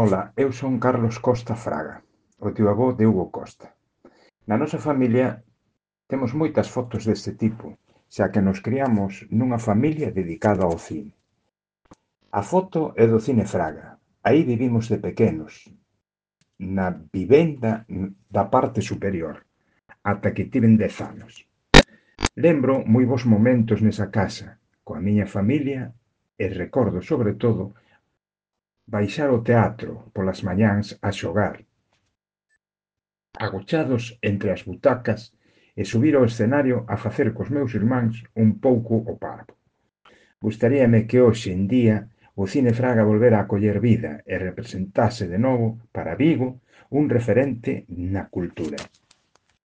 Ola, eu son Carlos Costa Fraga, o tío avó de Hugo Costa. Na nosa familia temos moitas fotos deste tipo, xa que nos criamos nunha familia dedicada ao cine. A foto é do Cine Fraga, aí vivimos de pequenos, na vivenda da parte superior, ata que tiven 10 anos. Lembro moi bons momentos nesa casa, coa miña familia, e recordo, sobre todo, baixar ao teatro polas mañáns a xogar, agochados entre as butacas, e subir ao escenario a facer cos meus irmáns un pouco o parvo. Gustaríame que hoxe en día o Cine Fraga volvera a coller vida e representase de novo para Vigo un referente na cultura.